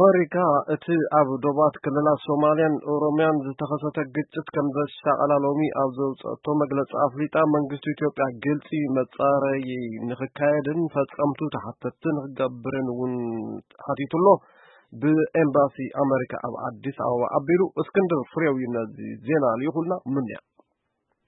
ኣመሪካ እቲ ኣብ ዶባት ክልላት ሶማልያን ኦሮምያን ዝተኸሰተ ግጭት ከም ዘሻቐላ ሎሚ ኣብ ዘውፅአቶ መግለፂ ኣፍሊጣ፣ መንግስቲ ኢትዮጵያ ግልፂ መፃረዪ ንክካየድን ፈፀምቱ ተሓተትቲ ንክገብርን እውን ሓቲቱ ኣሎ። ብኤምባሲ ኣመሪካ ኣብ ኣዲስ ኣበባ ኣቢሉ እስክንድር ፍሬው እዩ ነዚ ዜና ልኢኹልና። ምንያ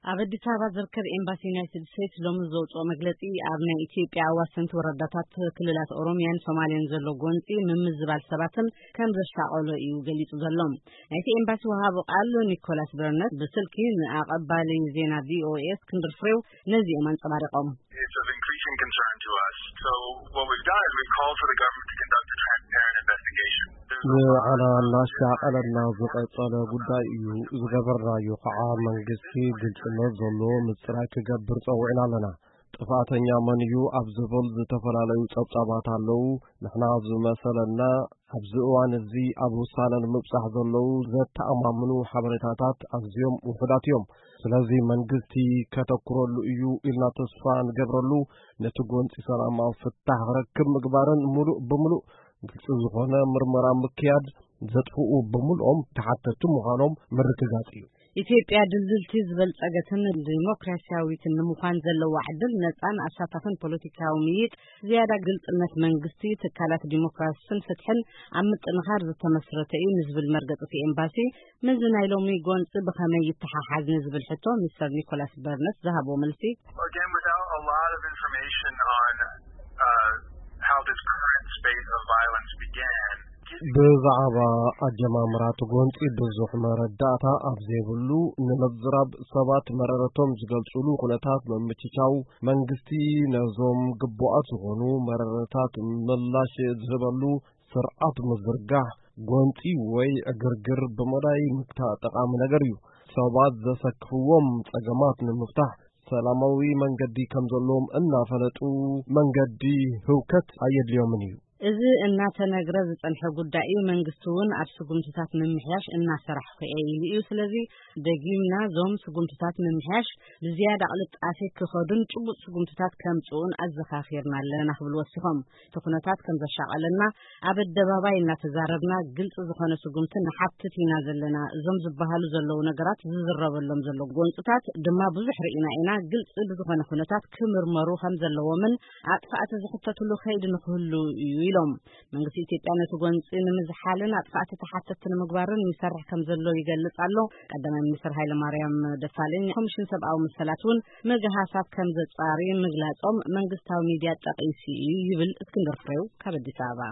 ኣብ ኣዲስ ኣበባ ዝርከብ ኤምባሲ ዩናይትድ ስቴትስ ሎሚ ዘውፅኦ መግለፂ፣ ኣብ ናይ ኢትዮጵያ ኣዋሰንቲ ወረዳታት ክልላት ኦሮምያን ሶማልያን ዘሎ ጎንፂ ምምዝባል ሰባትን ከም ዘሻቐሎ እዩ ገሊፁ ዘሎ። ናይቲ ኤምባሲ ወሃቢ ቃል ኒኮላስ በርነት ብስልኪ ንኣቐባሊ ዜና ቪኦኤ እስክንድር ፍሬው ነዚኦም ኣንፀባሪቖም። ንዓና እናሻቐለና ዝቐጸለ ጉዳይ እዩ። ዝገበርናዮ ከዓ መንግስቲ ግልጽነት ዘሎ ምጽራይ ክገብር ጸዊዕና ኣለና። ጥፍኣተኛ መን እዩ ኣብ ዝብል ዝተፈላለዩ ጸብጻባት ኣለዉ። ንሕና ኣብ ዝመሰለና ኣብዚ እዋን እዚ ኣብ ውሳነ ንምብጻሕ ዘለዉ ዘተኣማምኑ ሓበሬታታት ኣዝዮም ውሑዳት እዮም። ስለዚ መንግስቲ ከተኩረሉ እዩ ኢልና ተስፋ ንገብረሉ፣ ነቲ ጎንፂ ሰላማዊ ፍታሕ ክረክብ ምግባርን ምሉእ ብምሉእ ግልፂ ዝኾነ ምርመራ ምክያድ፣ ዘጥፍኡ ብምልኦም ተሓተቲ ምዃኖም ምርግጋፅ እዩ። ኢትዮጵያ ድልድልቲ ዝበልጸገትን ዲሞክራሲያዊትን ንምዃን ዘለዋ ዕድል፣ ነጻን ኣሳታፍን ፖለቲካዊ ምይጥ፣ ዝያዳ ግልጽነት መንግስቲ፣ ትካላት ዲሞክራስን ፍትሕን ኣብ ምጥንኻር ዝተመስረተ እዩ ንዝብል መርገጺ እቲ ኤምባሲ፣ ምስዚ ናይ ሎሚ ጎንጺ ብኸመይ ይተሓሓዝ ንዝብል ሕቶ፣ ሚስተር ኒኮላስ በርነስ ዝሃቦ መልሲ። Again, without a lot of information on uh, how this current spate of violence began, ብዛዕባ ኣጀማምራ እቲ ጎንጺ ብዙሕ መረዳእታ ኣብ ዘይብሉ፣ ንምዝራብ ሰባት መረረቶም ዝገልጹሉ ኩነታት ምምችቻው፣ መንግስቲ ነዞም ግቡኣት ዝኾኑ መረረታት ምላሽ ዝህበሉ ስርዓት ምዝርጋሕ፣ ጎንጺ ወይ ዕግርግር ብምእላይ ምግታእ ጠቓሚ ነገር እዩ። ሰባት ዘሰክፍዎም ጸገማት ንምፍታሕ ሰላማዊ መንገዲ ከም ዘለዎም እናፈለጡ፣ መንገዲ ህውከት ኣየድልዮምን እዩ። እዚ እናተነግረ ዝጸንሐ ጉዳይ እዩ። መንግስቲ እውን ኣብ ስጉምትታት ምምሕያሽ እናሰራሕኩ እየ ኢሉ እዩ። ስለዚ ደጊምና እዞም ስጉምትታት ምምሕያሽ ብዝያዳ ቅልጣፌ ክኸዱን ጭቡጥ ስጉምትታት ከምጽኡን ኣዘኻኺርና ኣለና ክብሉ ወሲኾም። እቲ ኩነታት ከም ዘሻቐለና ኣብ ኣደባባይ እናተዛረብና ግልፂ ዝኾነ ስጉምቲ ንሓትት ኢና ዘለና። እዞም ዝበሃሉ ዘለዉ ነገራት ዝዝረበሎም ዘሎ ጎንፅታት ድማ ብዙሕ ርኢና ኢና። ግልፂ ብዝኾነ ኩነታት ክምርመሩ ከም ዘለዎምን ኣጥፋእቲ ዝሕተትሉ ከይዲ ንክህሉ እዩ ኢሎም። መንግስቲ ኢትዮጵያ ነቲ ጎንፂ ንምዝሓልን ኣጥፋእቲ ተሓተትቲ ንምግባርን ይሰርሕ ከም ዘሎ ይገልፅ ኣሎ። ቀዳማይ ሚኒስትር ሃይለማርያም ደሳለኝ ኮሚሽን ሰብኣዊ መሰላት እውን ምግሃሳት ከም ዘጻሪ ምግላጾም መንግስታዊ ሚድያ ጠቒሱ እዩ ይብል እስክንድር ፍሬው ካብ ኣዲስ ኣበባ።